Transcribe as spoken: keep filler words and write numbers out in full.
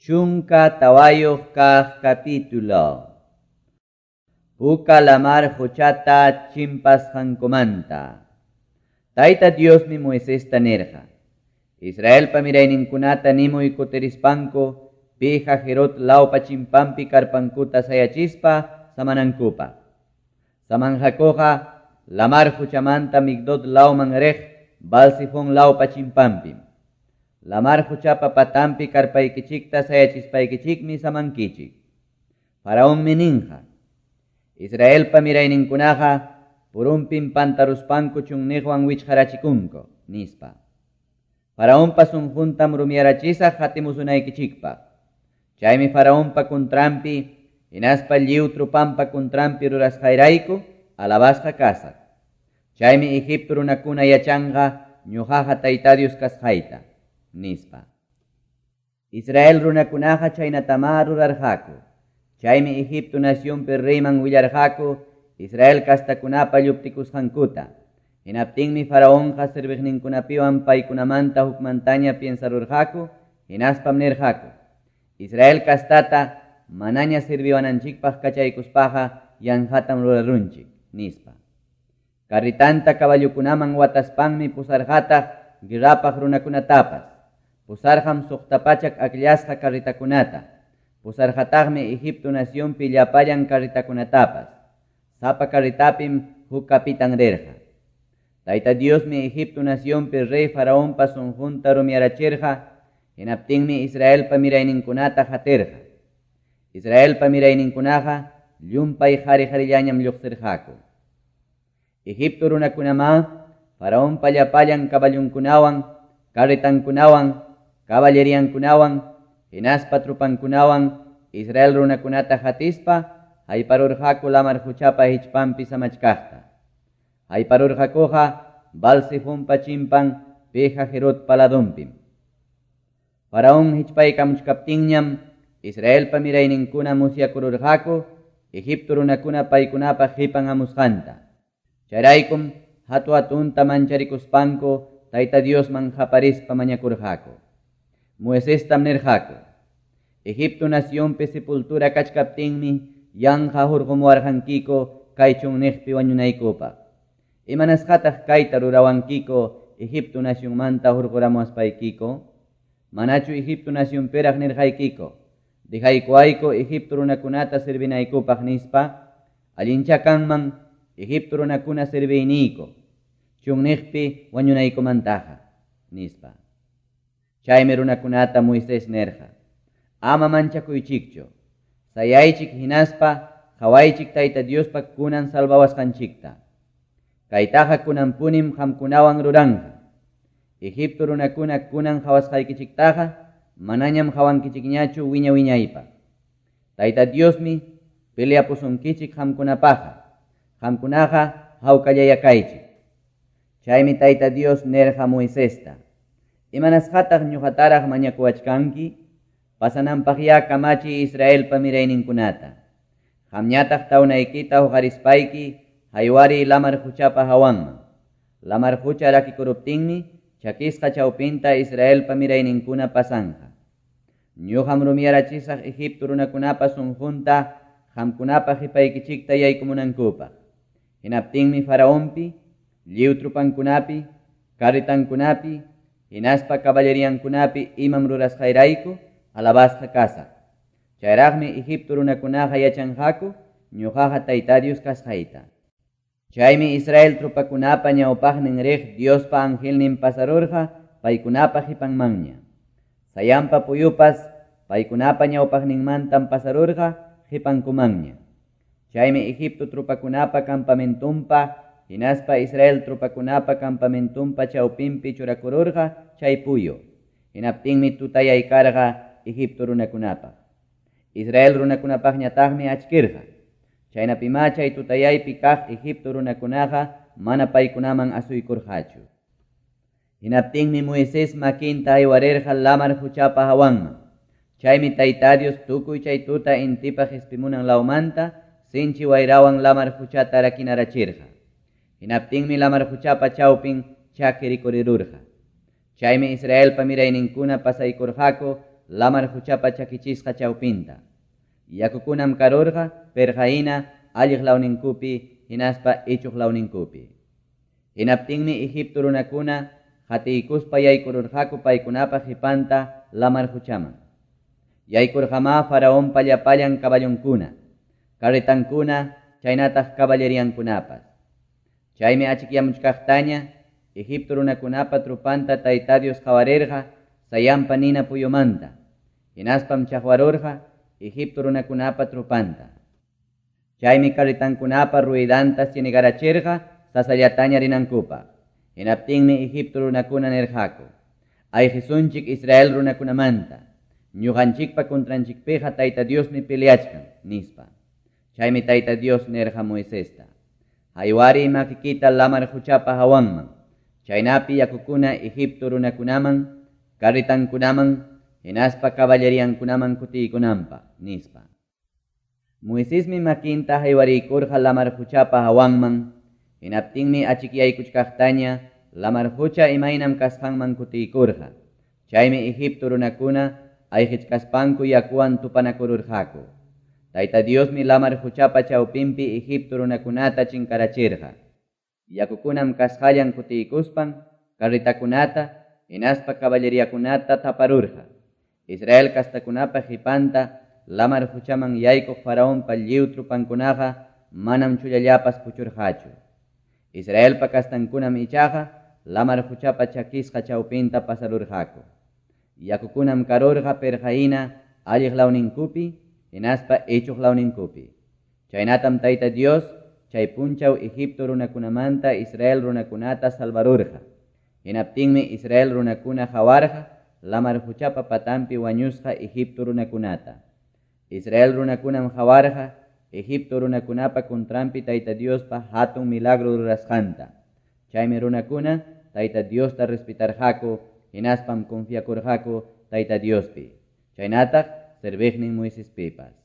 Chunka tawayuq kaq capítulo. Puka lamar quchata chimpasqankumanta. Tayta Diosmi Moisesta nirqa: Israelpa mirayninkunata nimuy kutirispanku Pi-Hahirot lawpa chimpampi karpankuta sayachispa samanankupaq. Samanqakuqa lamar quchamanta Migdol lawman riq Baal-zefón lawpa chimpampim. Lamar quchapa patampi karpaykichikta sayachispaykichikmi samankichik. Faraonmi ninqa: Israelpa mirayninkunaqa purumpim pantaruspanku chunniqwan wichqarachikunku, nispa. Faraonpa sunquntam rumiyarachisaq hatimusunaykichikpaq. Chaymi Faraonpa kuntranpi hinaspa lliw trupampa kuntranpi rurasqayrayku alabasqa kasaq. Chaymi Egipto runakuna yachanqa ñuqaqa Tayta Dios kasqayta, nispa. Israel runakunaqa chaynatamá rurarqaku. Chaymi Egipto nacionpi reyman willarqaku Israel kastakunapa lluptikusqankuta. Hinaptinmi Faraonqa serviqninkunapiwan paykunamanta hukmantaña piensarurqaku, hinaspam nirqaku: Israel kastata manaña sirviwananchikpaq kachaykuspaqa yanqatam rurarunchik, nispa. Carritanta caballukunaman wataspanmi pusarqataq guerrapaq runakunatapas. Pusarqam suqta pachak akllasqa carritakunata. Pusarqataqmi Egipto nacionpi llapallan carritakunatapas. Sapa carritapim huk kapitan rirqa. Tayta Diosmi Egipto nacionpi rey Faraonpa sunqunta rumiyarachirqa, hinaptinmi Israelpa mirayninkunata hatirqa. Israelpa mirayninkunaqa llumpay qari-qarillañam lluqsirqaku. Egipto runakunamá Faraonpa llapallan caballunkunawan, carretankunawan, caballeriankunawan, hinaspa trupankunawan Israel runakunata hatispa hayparurqaku lamar quchapa hichpanpi samachkaqta. Hayparurqakuqa Baal-zefonpa chimpan Pi-Hahirotpa ladunpim. Faraón hichpaykamuchkaptinñam Israelpa mirayninkuna musyakururqaku Egipto runakuna paykunapa qipan hamusqanta. Chayraykum hatu hatunta mancharikuspanku Tayta Diosman qaparispa mañakurqaku. Moisestam nirqaku: Egipto nacionpi sepultura kachkaptinmi yanqa hurqumuwarqankiku kay chunniqpi wañunaykupaq. Imanasqataq kayta rurawankiku Egipto nacionmanta hurquramuwaspaykiku? Manachu Egipto nacionpiraq nirqaykiku: Dejaykuwayku Egipto runakunata servinaykupaq, nispa? Allincha kanman Egipto runakuna serviyniyku chunniqpi wañunaykumantaqa, nispa. Chaymi runakunata Moisés nirqa: Ama manchakuychikchu, sayaychik hinaspa qawaychik Tayta Diospa kunan salvawasqanchikta. Kaytaqa kunanpunim qamkunawan ruranqa. Egipto runakuna kunan qawasqaykichiktaqa manañam qawankichikñachu wiña wiñaypaq. Tayta Diosmi peleapusunkichik qamkunapaqqa. Qamkunaqa hawkallayakaychik. Chaymi Tayta Dios nirqa Moisesta: Imanasqataq ñuqataraq mañakuwachkanki? Pasananpaqyá kamachiy Israelpa mirayninkunata. Qamñataq tawnaykita huqarispayki haywariy lamar quchapa hawanman. Lamar qucha rakikuruptinmi chakisqa chawpinta Israelpa mirayninkuna pasanqa. Ñuqam rumiyarachisaq Egipto runakunapa sunqunta qamkunapa qipaykichikta yaykumunankupaq. Hinaptinmi Faraonpi, lliw trupankunapi, carretankunapi, hinaspa caballeriankunapi imam rurasqayrayku alabasqa kasaq. Chayraqmi Egipto runakunaqa yachanqaku ñuqaqa Tayta Dios kasqayta. Chaymi Israel trupakunapa ñawpaqnin riq Diospa angelnin pasarurqa paykunapa qipanmanña. Sayanpa puyupas paykunapa ñawpaqninmantam pasarurqa qipankumanña. Chaymi Egipto trupakunapa campamentumpa hinaspa Israel trupakunapa campamentumpa chawpinpi churakururqa chay puyu. Hinaptinmi tutayaykarqa Egipto runakunapaq. Israel runakunapaqñataqmi achkirqa. Chaynapimá chay tutayaypi kaq Egipto runakunaqa mana paykunaman asuykurqachu. Hinaptinmi Moisés makinta haywarirqa lamar quchapa hawanman. Chaymi Tayta Dios tukuy chay tuta intipa qispimunan lawmanta sinchi wayrawan lamar quchata rakinarachirqa. Hinaptinmi lamar quchapa chawpin chaki rikurirurqa. Chaymi Israelpa mirayninkuna pasaykurqaku lamar qochapa chakichisqa chawpinta. Yakukunam karurqa perqahina alliq lawninkupi hinaspa ichuq lawninkupi. Hinaptinmi Egipto runakuna qatiykuspa yaykururqaku paykunapa qipanta lamar qochaman. Yaykurqamá faraonpa llapallan caballonkuna, carretankuna, chaynataq caballeriankunapas. Chaymi achikyamuchkaqtaña Egipto runakunapa trupanta Tayta Dios qawarirqa sayanpa nina puyumanta. Hinaspam chaqwarurqa Egipto runakunapa trupanta. Chaymi carretankunapa ruidanta cienegarachirqa sasallataña rinankupaq. Hinaptinmi Egipto runakuna nirqaku: Ayqisunchik Israel runakunamanta, ñuqanchikpa contranchikpiqa Tayta Diosmi peleachkan, nispa. Chaymi Tayta Dios nirqa Moisesta: Haywari makikita lamar qochapa hawanman, chaynapi yakukuna Egipto runakunaman, carretankunaman, hinaspa caballeriankunaman kutiykunanpaq, nispa. Moisesmi makinta haywariykurqa lamar qochapa hawanman, hinaptinmi achikyaykuchkaqtaña lamar qocha imaynam kasqanman kutiykurqa. Chaymi Egipto runakuna ayqichkaspanku yakuwan tupanakururqaku. Tayta Diosmi lamar qochapa chawpinpi Egipto runakunata chinkarachirqa. Yakukunam kasqallan kutiykuspan carretakunata hinaspa caballeriakunata taparurqa. Israel kastakunapa qipanta lamar qochaman yaykuq faraonpa lliw trupankunaqa manam chullallapas puchurqachu. Israelpa kastankunam ichaqa lamar qochapa chakisqa chawpinta pasarurqaku. Yakukunam karurqa perqahina alliq lawninkupi hinaspa ichuq lawninkupi. Chaynatam Tayta Dios chay punchaw Egipto runakunamanta Israel runakunata salvarurqa. Hinaptinmi Israel runakuna qawarqa lamar qochapa patanpi wañusqa Egipto runakunata. Israel runakunam qawarqa Egipto runakunapa contranpi Tayta Diospa hatun milagro rurasqanta. Chaymi runakuna Tayta Diosta respetarqaku hinaspam confiakurqaku Tayta Diospi. Chaynataq serviqnin Moisespipas.